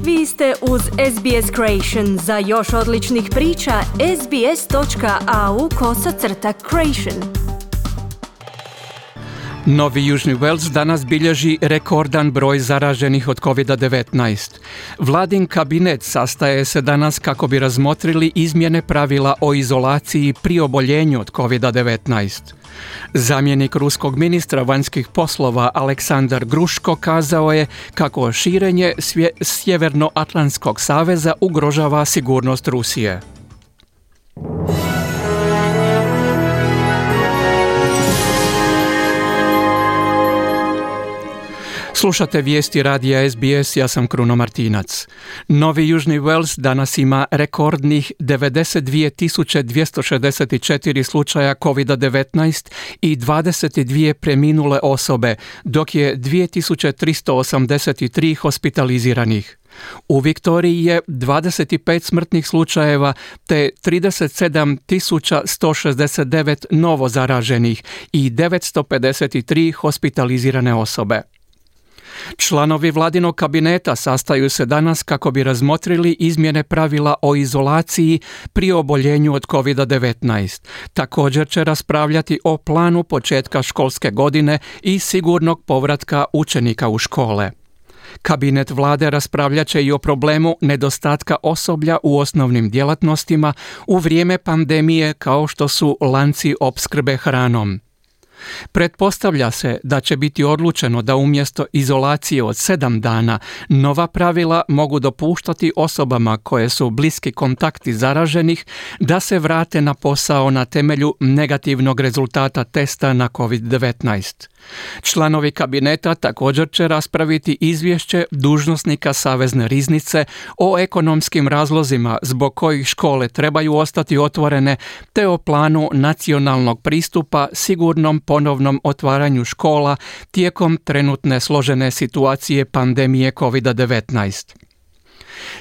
Vi ste uz SBS Creation. Za još odličnih priča, sbs.au/creation. Novi Južni Wales danas bilježi rekordan broj zaraženih od COVID-19. Vladin kabinet sastaje se danas kako bi razmotrili izmjene pravila o izolaciji pri oboljenju od COVID-19. Zamjenik ruskog ministra vanjskih poslova Aleksandar Gruško kazao je kako širenje Sjevernoatlantskog saveza ugrožava sigurnost Rusije. Slušate vijesti radija SBS, ja sam Kruno Martinac. Novi Južni Wales danas ima rekordnih 92.264 slučaja COVID-19 i 22 preminule osobe, dok je 2.383 hospitaliziranih. U Viktoriji je 25 smrtnih slučajeva te 37.169 novo zaraženih i 953 hospitalizirane osobe. Članovi vladinog kabineta sastaju se danas kako bi razmotrili izmjene pravila o izolaciji pri oboljenju od COVID-19. Također će raspravljati o planu početka školske godine i sigurnog povratka učenika u škole. Kabinet vlade raspravljat će i o problemu nedostatka osoblja u osnovnim djelatnostima u vrijeme pandemije kao što su lanci opskrbe hranom. Pretpostavlja se da će biti odlučeno da umjesto izolacije od 7 dana nova pravila mogu dopuštati osobama koje su bliski kontakti zaraženih da se vrate na posao na temelju negativnog rezultata testa na COVID-19. Članovi kabineta također će raspraviti izvješće dužnosnika Savezne riznice o ekonomskim razlozima zbog kojih škole trebaju ostati otvorene te o planu nacionalnog pristupa sigurnom ponovnom otvaranju škola tijekom trenutne složene situacije pandemije COVID-19.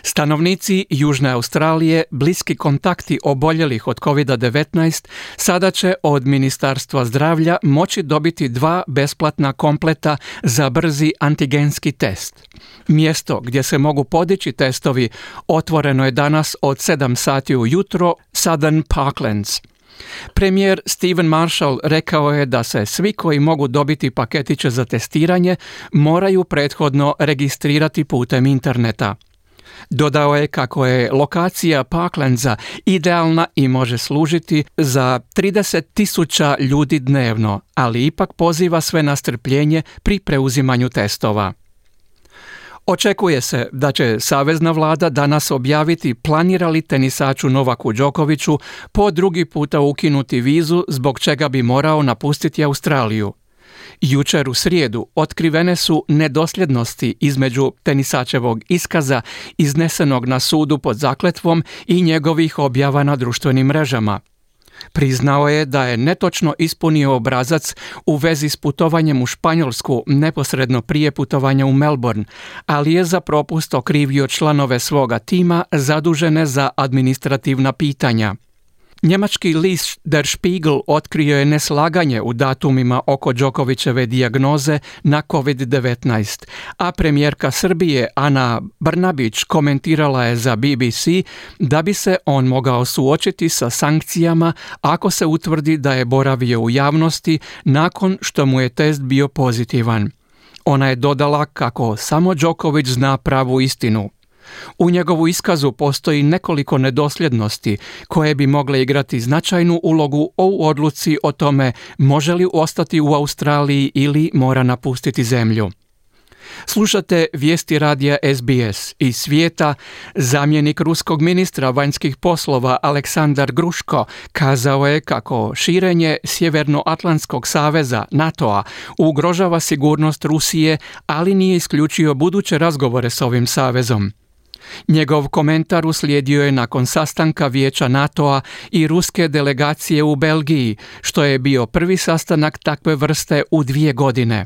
Stanovnici Južne Australije, bliski kontakti oboljelih od COVID-19, sada će od Ministarstva zdravlja moći dobiti 2 besplatna kompleta za brzi antigenski test. Mjesto gdje se mogu podići testovi otvoreno je danas od 7 sati ujutro, Southern Parklands. Premijer Stephen Marshall rekao je da se svi koji mogu dobiti paketiće za testiranje moraju prethodno registrirati putem interneta. Dodao je kako je lokacija Parklandsa idealna i može služiti za 30.000 ljudi dnevno, ali ipak poziva sve na strpljenje pri preuzimanju testova. Očekuje se da će savezna vlada danas objaviti planira li tenisaču Novaku Đokoviću po drugi puta ukinuti vizu zbog čega bi morao napustiti Australiju. Jučer u srijedu otkrivene su nedosljednosti između tenisačevog iskaza iznesenog na sudu pod zakletvom i njegovih objava na društvenim mrežama. Priznao je da je netočno ispunio obrazac u vezi s putovanjem u Španjolsku neposredno prije putovanja u Melbourne, ali je za propust okrivio članove svoga tima zadužene za administrativna pitanja. Njemački list Der Spiegel otkrio je neslaganje u datumima oko Đokovićeve dijagnoze na COVID-19, a premijerka Srbije Ana Brnabić komentirala je za BBC da bi se on mogao suočiti sa sankcijama ako se utvrdi da je boravio u javnosti nakon što mu je test bio pozitivan. Ona je dodala kako samo Đoković zna pravu istinu. U njegovu iskazu postoji nekoliko nedosljednosti koje bi mogle igrati značajnu ulogu u odluci o tome može li ostati u Australiji ili mora napustiti zemlju. Slušate vijesti radija SBS iz svijeta. Zamjenik ruskog ministra vanjskih poslova Aleksandar Gruško kazao je kako širenje Sjevernoatlantskog saveza NATO-a ugrožava sigurnost Rusije, ali nije isključio buduće razgovore s ovim savezom. Njegov komentar uslijedio je nakon sastanka Vijeća NATO-a i ruske delegacije u Belgiji, što je bio prvi sastanak takve vrste u 2 godine.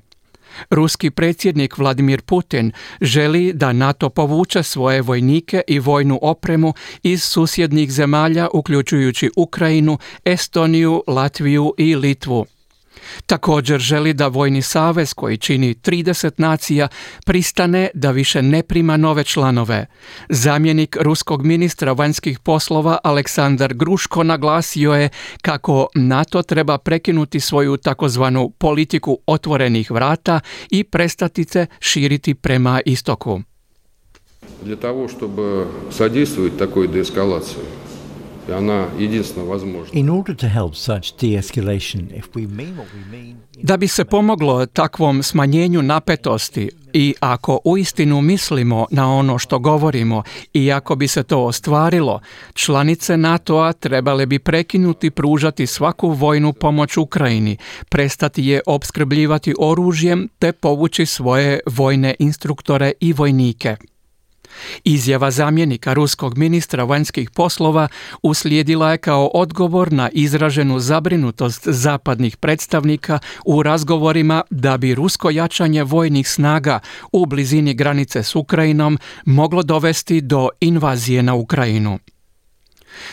Ruski predsjednik Vladimir Putin želi da NATO povuče svoje vojnike i vojnu opremu iz susjednih zemalja, uključujući Ukrajinu, Estoniju, Latviju i Litvu. Također želi da vojni savez koji čini 30 nacija pristane da više ne prima nove članove. Zamjenik ruskog ministra vanjskih poslova Aleksandar Gruško naglasio je kako NATO treba prekinuti svoju takozvanu politiku otvorenih vrata i prestati se širiti prema istoku. Для того, чтобы содействовать такой деэскалации, In order to help such de-escalation, if we mean what we mean... Da bi se pomoglo takvom smanjenju napetosti i ako uistinu mislimo na ono što govorimo i ako bi se to ostvarilo, članice NATO-a trebale bi prekinuti pružati svaku vojnu pomoć Ukrajini, prestati je opskrbljivati oružjem te povući svoje vojne instruktore i vojnike. Izjava zamjenika ruskog ministra vanjskih poslova uslijedila je kao odgovor na izraženu zabrinutost zapadnih predstavnika u razgovorima da bi rusko jačanje vojnih snaga u blizini granice s Ukrajinom moglo dovesti do invazije na Ukrajinu.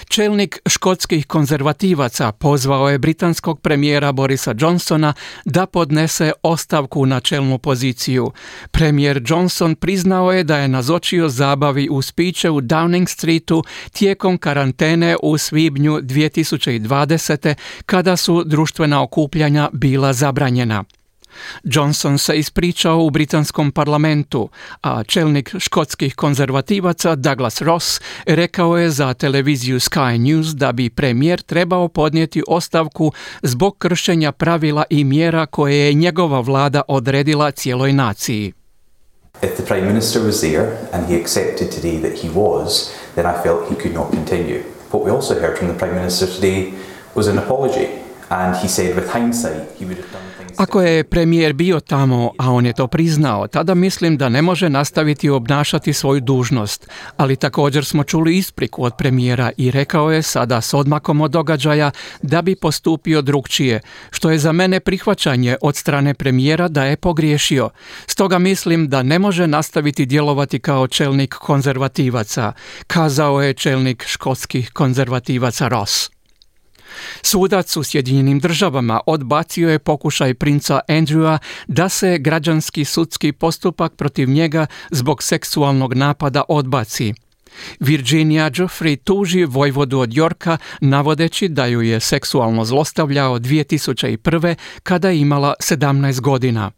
Čelnik škotskih konzervativaca pozvao je britanskog premijera Borisa Johnsona da podnese ostavku na čelnu poziciju. Premijer Johnson priznao je da je nazočio zabavi uz piće u Downing Streetu tijekom karantene u svibnju 2020. kada su društvena okupljanja bila zabranjena. Johnson se ispričao u britanskom parlamentu, a čelnik škotskih konzervativaca Douglas Ross rekao je za televiziju Sky News da bi premijer trebao podnijeti ostavku zbog kršenja pravila i mjera koje je njegova vlada odredila cijeloj naciji. If the Prime Minister was there and he accepted today that he was, then I felt he could not continue. What we also heard from the Prime Minister today was an apology, and he said with hindsight he would have done things. Ako je premijer bio tamo, a on je to priznao, tada mislim da ne može nastaviti obnašati svoju dužnost, ali također smo čuli ispriku od premijera i rekao je sada s odmakom od događaja da bi postupio drukčije, što je za mene prihvaćanje od strane premijera da je pogriješio. Stoga mislim da ne može nastaviti djelovati kao čelnik konzervativaca, kazao je čelnik škotskih konzervativaca Ross. Sudac u Sjedinjenim Državama odbacio je pokušaj princa Andrewa da se građanski sudski postupak protiv njega zbog seksualnog napada odbaci. Virginia Giuffre tuži vojvodu od Yorka navodeći da ju je seksualno zlostavljao 2001. kada je imala 17 godina.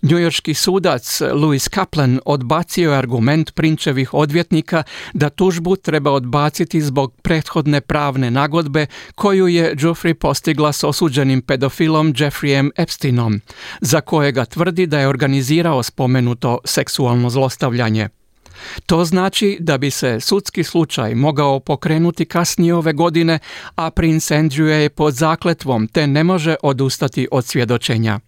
Njujorški sudac Louis Kaplan odbacio je argument prinčevih odvjetnika da tužbu treba odbaciti zbog prethodne pravne nagodbe koju je Giuffre postigla s osuđenim pedofilom Jeffreyem Epsteinom, za kojega tvrdi da je organizirao spomenuto seksualno zlostavljanje. To znači da bi se sudski slučaj mogao pokrenuti kasnije ove godine, a princ Andrew je pod zakletvom te ne može odustati od svjedočenja.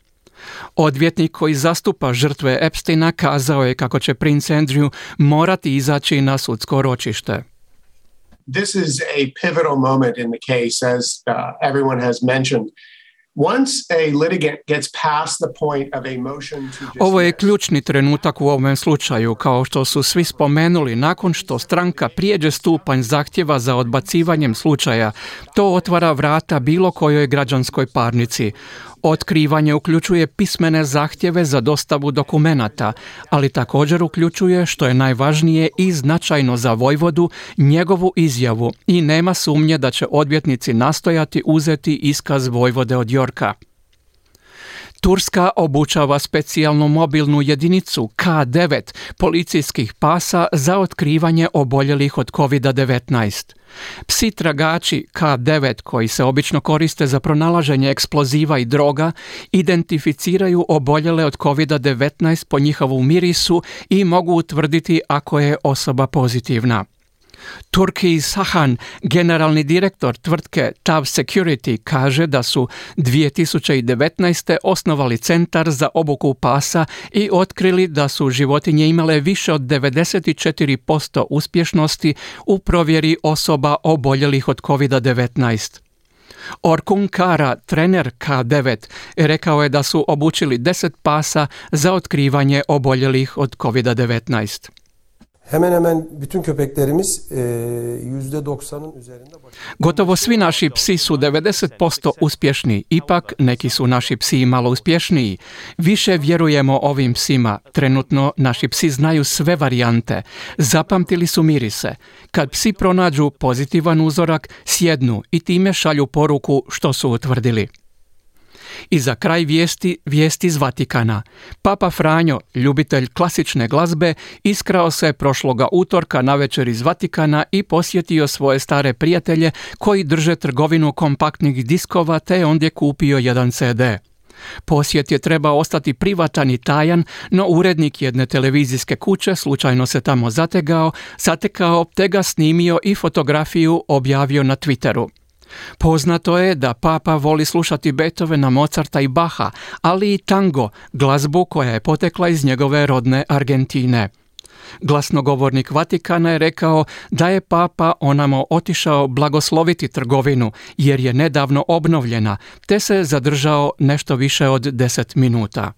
Odvjetnik koji zastupa žrtve Epsteina kazao je kako će princ Andrew morati izaći na sudsko ročište. This is a pivotal moment in the case, as everyone has mentioned. Once a litigant gets past the point of a motion to dismiss. Ovo je ključni trenutak u ovom slučaju, kao što su svi spomenuli, nakon što stranka prijeđe stupanj zahtjeva za odbacivanjem slučaja, to otvara vrata bilo kojoj građanskoj parnici. Otkrivanje uključuje pismene zahtjeve za dostavu dokumenata, ali također uključuje, što je najvažnije i značajno za vojvodu, njegovu izjavu i nema sumnje da će odvjetnici nastojati uzeti iskaz vojvode od Yorka. Turska obučava specijalnu mobilnu jedinicu K9 policijskih pasa za otkrivanje oboljelih od COVID-19. Psi tragači K9, koji se obično koriste za pronalaženje eksploziva i droga, identificiraju oboljele od COVID-19 po njihovom mirisu i mogu utvrditi ako je osoba pozitivna. Turki Sahan, generalni direktor tvrtke TAV Security, kaže da su 2019. osnovali centar za obuku pasa i otkrili da su životinje imale više od 94% uspješnosti u provjeri osoba oboljelih od COVID-19. Orkun Kara, trener K9, rekao je da su obučili 10 pasa za otkrivanje oboljelih od COVID-19. Hemen hemen bütün köpeklerimiz %90'ın üzerinde. Gotovo svi naši psi su 90% uspješni, ipak neki su naši psi malo uspješniji. Više vjerujemo ovim psima. Trenutno naši psi znaju sve varijante. Zapamtili su mirise. Kad psi pronađu pozitivan uzorak, sjednu i time šalju poruku što su utvrdili. I za kraj vijesti iz Vatikana. Papa Franjo, ljubitelj klasične glazbe, iskrao se prošloga utorka navečer iz Vatikana i posjetio svoje stare prijatelje koji drže trgovinu kompaktnih diskova te ondje kupio jedan CD. Posjet je trebao ostati privatan i tajan, no urednik jedne televizijske kuće slučajno se tamo zatekao te ga snimio i fotografiju objavio na Twitteru. Poznato je da Papa voli slušati Beethovena, Mozarta i Baha, ali i tango, glazbu koja je potekla iz njegove rodne Argentine. Glasnogovornik Vatikana je rekao da je Papa onamo otišao blagosloviti trgovinu jer je nedavno obnovljena, te se zadržao nešto više od 10 minuta.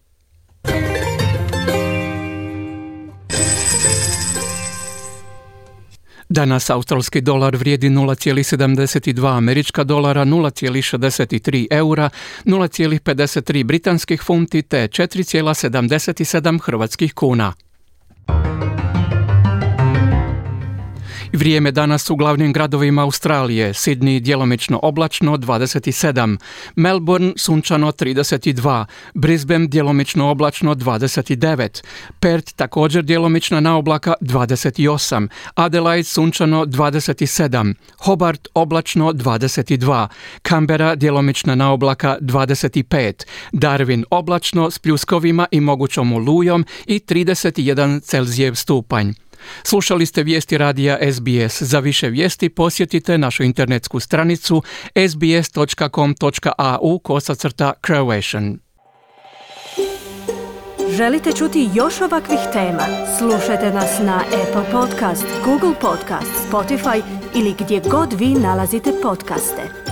Danas australski dolar vrijedi 0,72 američka dolara, 0,63 eura, 0,53 britanskih funti te 4,77 hrvatskih kuna. Vrijeme danas u glavnim gradovima Australije: Sydney djelomično oblačno 27, Melbourne sunčano 32, Brisbane djelomično oblačno 29, Perth također djelomična naoblaka 28, Adelaide sunčano 27, Hobart oblačno 22, Canberra djelomična naoblaka 25, Darwin oblačno s pljuskovima i mogućom olujom i 31 Celzijev stupanj. Slušali ste vijesti radija SBS. Za više vijesti posjetite našu internetsku stranicu sbs.com.au/Croatian. Želite čuti još ovakvih tema? Slušajte nas na Apple Podcast, Google Podcast, Spotify ili gdje god vi nalazite podcaste.